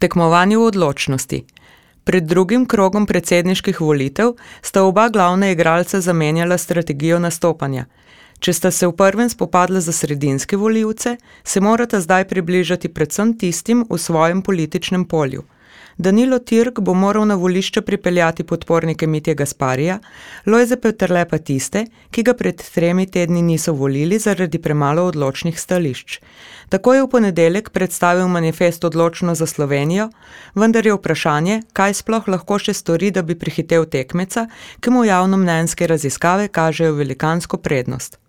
Tekmovanje v odločnosti. Pred drugim krogom predsedniških volitev sta oba glavna igralca zamenjala strategijo nastopanja. Če sta se v prvem spopadla za sredinske volivce, se morata zdaj približati predvsem tistim v svojem političnem polju. Danilo Türk bo moral na volišče pripeljati podpornike Mitje Gasparija, Lojze Peterle pa tiste, ki ga pred 3 tedni niso volili zaradi premalo odločnih stališč. Tako je v ponedeljek predstavil manifest Odločno za Slovenijo, vendar je vprašanje, kaj sploh lahko še stori, da bi prehitel tekmeca, ki mu javnomnenjske raziskave kažejo velikansko prednost.